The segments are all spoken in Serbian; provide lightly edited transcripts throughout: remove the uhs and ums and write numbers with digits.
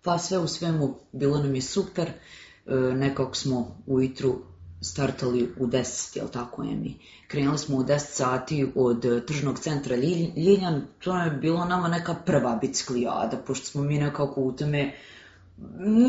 Pa sve u svemu bilo nam je super, nekako smo ujutru startali u 10, jel tako Emi? Krenuli smo u 10 sati od tržnog centra Ljiljan, to je bilo nama neka prva biciklijada, pošto smo mi nekako u tome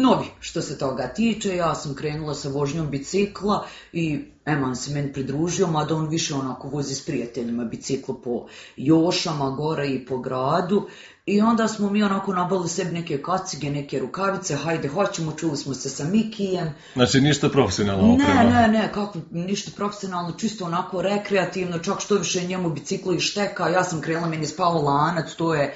novi što se toga tiče. Ja sam krenula sa vožnjom bicikla i Eman se meni pridružio, mada on više onako vozi s prijateljima biciklo po Jošama, gore i po gradu. I onda smo mi onako nabavili sebi neke kacige, neke rukavice, hajde hoćemo, čuli smo se sa Mikijem. Znači ništa profesionalno oprema? Ne, kako ništa profesionalno, čisto onako rekreativno, čak što više njemu biciklo i šteka, ja sam krenula, meni je spao lanac, to je,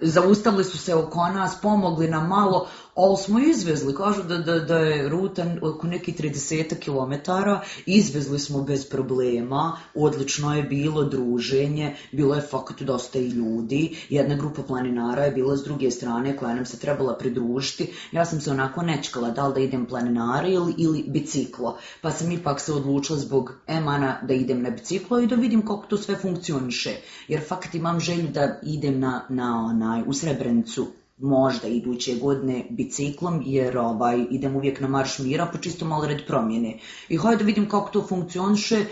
zaustavili su se oko nas, pomogli nam malo, ali smo izvezli, kažu da je ruta oko nekih 30 kilometara, izvezli smo bez problema, odlično je bilo druženje, bilo je fakat dosta i ljudi, jedna grupa planinara je bila s druge strane koja nam se trebala pridružiti, ja sam se onako nečkala da li da idem planinara ili biciklo, pa sam ipak se odlučila zbog Emana da idem na biciklo i da vidim kako to sve funkcioniše, jer fakat imam želju da idem u Srebrenicu možda iduće godine biciklom, jer idem uvijek na Marš mira, pa čisto malo red promjene. I hajde da vidim kako to funkcioniše.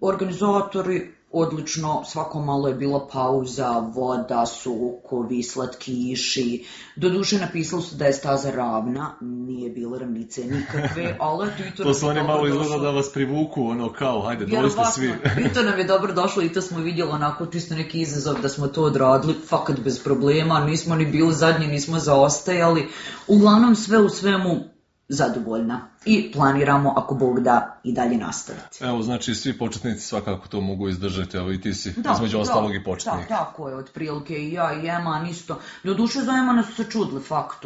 Organizatori, odlično, svako malo je bila pauza, voda, sokovi, slatkiši. Doduše napisali su da je staza ravna, nije bilo ravnice nikakve, ali to su oni malo izgleda da vas privuku, ono kao, hajde, dođite svi. I to nam je dobro došlo i to smo vidjeli onako čisto neki izazov da smo to odradili, fakat bez problema, nismo ni bili zadnji, nismo zaostajali. Uglavnom sve u svemu zadovoljna i planiramo, ako Bog da, i dalje nastaviti. Evo, znači svi početnici svakako to mogu izdržati, evo i ti si između ostalog i početnik. Da, tako je, otprilike i ja i Eman isto. Doduše za Emana su se čudili fakt,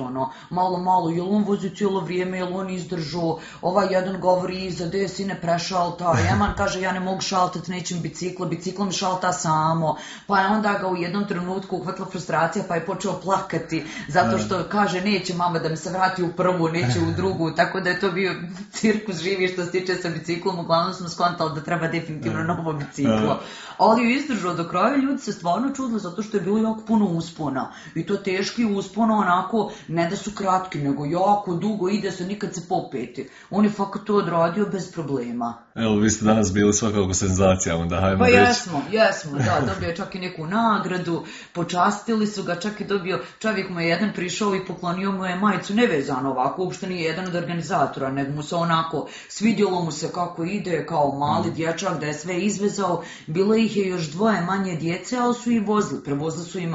malo, jel on vozi cijelo vrijeme, jel on izdržao, ovaj jedan govori iza, gde si ne prešalta, Eman kaže ja ne mogu šaltati, nećem biciklo mi šalta samo, pa je onda ga u jednom trenutku uhvatila frustracija, pa je počeo plakati, zato što kaže neće mama da mi se vrati u prvu, neće u drugu, tako da je to bio cirkus živi što se tiče sa biciklom, uglavnom smo skontali da treba definitivno novo biciklo. Ali je izdržao do kraja, ljudi se stvarno čudili zato što je bilo jako puno uspona. I to teški uspona, onako, ne da su kratki, nego jako dugo ide se, nikad se popeti. On je fakat to odradio bez problema. Evo, vi ste danas bili svakako senzacija, onda hajmo reći. Pa jesmo, da, dobio je čak i neku nagradu, počastili su ga, čak i dobio, čovjek mu je jedan prišao i poklonio mu je majicu nevezano ovako, uopšte nije jedan od organizatora, nego mu se onako, svidjelo mu se kako ide, kao mali dječak, da je sve izvezao, bilo ih je još dvoje manje djece, ali su i vozili, prevozili su im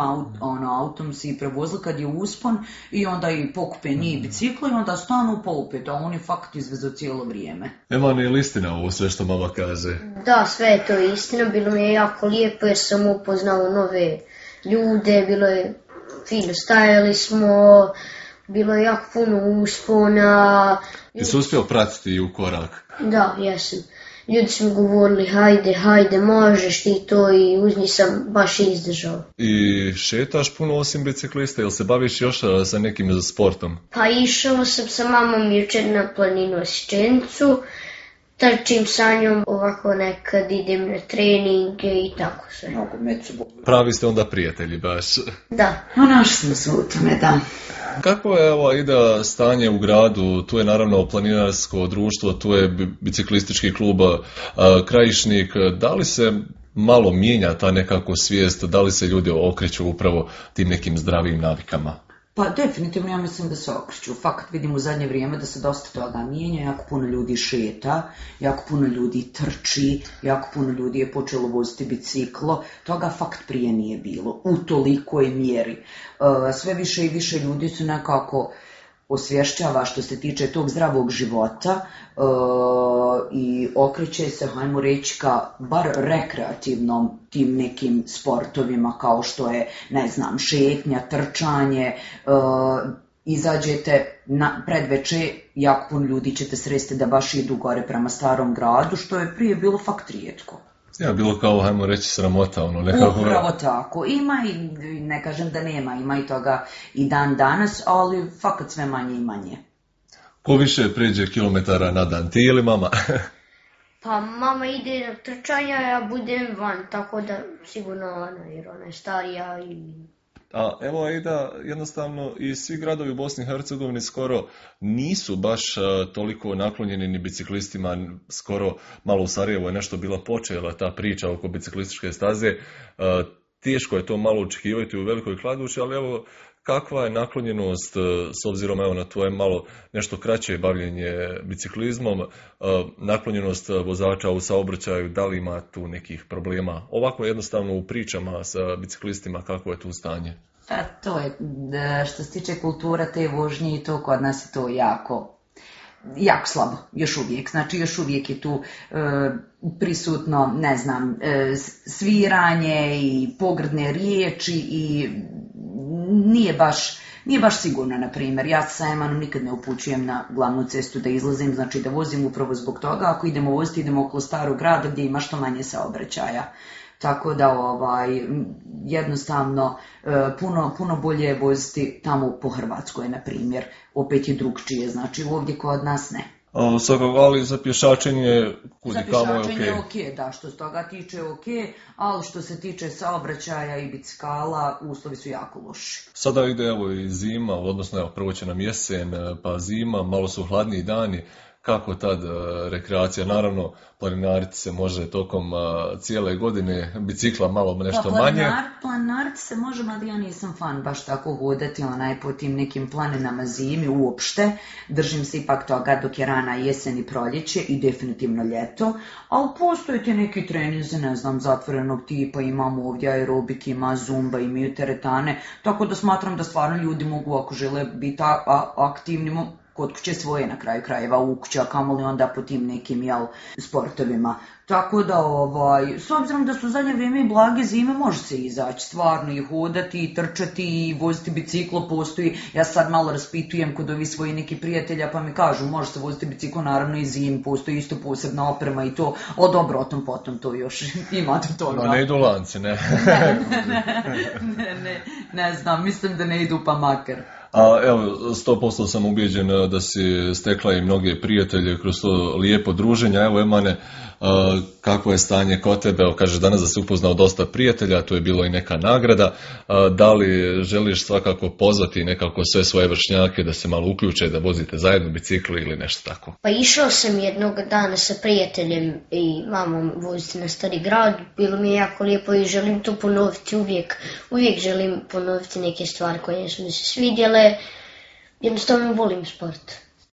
autom si prevozili kad je uspon i onda i pokupe njih biciklo i onda stanu poupet, a on je fakt izvezao cijelo vrijeme. Eman, je li istina ovo sve što mama kaže? Da, sve je to istina, bilo mi je jako lijepo jer sam upoznao nove ljude, bilo je fino, stajali smo, bilo je jako puno uspona. Ti si uspio pratiti u korak? Da, jesam. Ljudi su mi govorili hajde, možeš ti to i uz njih sam baš izdržao. I šetaš puno osim biciklista, ili se baviš još sa nekim sportom? Pa išao sam sa mamom jučer na planinu Asičenicu, trčim sa njom, ovako nekad idem na treninge i tako sve. Pravi ste onda prijatelji baš. Da. Našli smo se u tome, da. Kako je ide stanje u gradu? Tu je naravno planinarsko društvo, tu je biciklistički klub Krajišnik. Da li se malo mijenja ta nekako svijest, da li se ljudi okreću upravo tim nekim zdravim navikama? Pa definitivno ja mislim da se okreću. Fakat vidim u zadnje vrijeme da se dosta toga mijenja, jako puno ljudi šeta, jako puno ljudi trči, jako puno ljudi je počelo voziti biciklo. Toga fakt prije nije bilo, u tolikoj mjeri. Sve više i više ljudi su nekako osvješćava što se tiče tog zdravog života i okreće se, hajmo reći, ka bar rekreativnom tim nekim sportovima kao što je, ne znam, šetnja, trčanje, izađete na predveče, jako puno ljudi ćete sresti da baš idu gore prema starom gradu, što je prije bilo fakt rijetko. Ja, bilo kao, hajmo reći, sramota, nekako. Upravo tako. Ima i, ne kažem da nema, ima i toga i dan danas, ali fakat sve manje i manje. Ko više pređe kilometara na dan, ti ili mama? Pa mama ide na trčanja, ja budem van, tako da sigurno ona, jer ona je starija i A evo Aida, jednostavno i svi gradovi u Bosni i Hercegovini skoro nisu baš toliko naklonjeni ni biciklistima, skoro malo u Sarajevu je nešto bila počela ta priča oko biciklističke staze. Teško je to malo očekivati u Velikoj Kladuši, ali evo kakva je naklonjenost s obzirom evo na tvoje malo nešto kraće bavljenje biciklizmom, naklonjenost vozača u saobraćaju, da li ima tu nekih problema? Ovako jednostavno u pričama sa biciklistima kako je tu stanje? To je, što se tiče kultura te vožnje i to kod nas je to jako slabo, još uvijek. Znači, još uvijek je tu prisutno, ne znam, sviranje i pogrdne riječi i nije baš sigurno, na primjer. Ja sa Emanom nikad ne upućujem na glavnu cestu da izlazim, znači da vozim upravo zbog toga. Ako idemo voziti, idemo okolo starog grada gdje ima što manje saobraćaja. Tako da jednostavno puno bolje je voziti tamo po Hrvatskoj, na primjer. Opet je drugčije, znači ovdje kod nas ne. Ali za pješačenje kudikamo je ok. Za pješačenje je ok, da, što se toga tiče ok, ali što se tiče saobraćaja i bicikala, uslovi su jako loši. Sada ide evo i zima, odnosno evo prvo će nam jesen, pa zima, malo su hladniji dani. Kako tad rekreacija? Naravno, planinariti se može tokom cijele godine, bicikla malo nešto manje. Planinariti se može, ali ja nisam fan baš tako hodati po tim nekim planinama zimi uopšte. Držim se ipak toga dok je rana jesen i proljeće i definitivno ljeto. Ali postoje ti neki treninzi, ne znam, zatvorenog tipa, imamo ovdje aerobik, ima zumba, imaju teretane, tako da smatram da stvarno ljudi mogu, ako žele biti aktivni, kod kuće svoje na kraju krajeva u kući, a kamoli onda po tim nekim sportovima. Tako da, s obzirom da su zadnje vrijeme i blage zime, može se izaći stvarno i hodati, i trčati, i voziti biciklo, postoji. Ja sad malo raspitujem kod ovih svojih nekih prijatelja, pa mi kažu, može se voziti biciklo, naravno i zim, postoji isto posebna oprema i to, dobro, o tom potom to još ima do toga. No, ne idu lanci, ne. Ne znam, mislim da ne idu pa makar. A evo, 100% sam ubijeđen da si stekla i mnoge prijatelje kroz to lijepo druženje. Evo, Emane, kako je stanje kod tebe? Evo, kažeš danas da si upoznao dosta prijatelja, tu je bilo i neka nagrada. Da li želiš svakako pozvati nekako sve svoje vršnjake da se malo uključe, da vozite zajedno bicikli ili nešto tako? Pa išao sam jednog dana sa prijateljem i mamom voziti na Stari grad. Bilo mi je jako lijepo i želim to ponoviti uvijek. Uvijek želim ponoviti neke stvari koje su mi se svidjele. Jednostavno volim sport.